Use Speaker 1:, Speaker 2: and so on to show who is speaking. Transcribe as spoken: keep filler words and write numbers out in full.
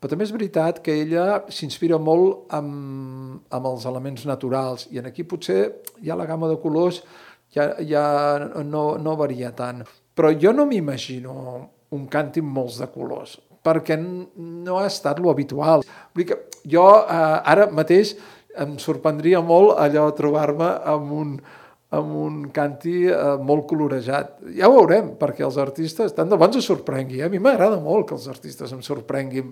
Speaker 1: Però també és veritat que ella s'inspira molt amb, amb els elements naturals, i aquí potser ja la gamma de colors ja, ja no, no varia tant. Però jo no m'imagino un càntir amb molts de colors, perquè no ha estat lo habitual. Vull dir que jo eh, ara mateix em sorprendria molt allò de trobar-me amb un, amb un càntir eh, molt colorejat. Ja ho veurem, perquè els artistes, tant de bons es sorprengui. Eh? A mi m'agrada molt que els artistes em sorprenguin,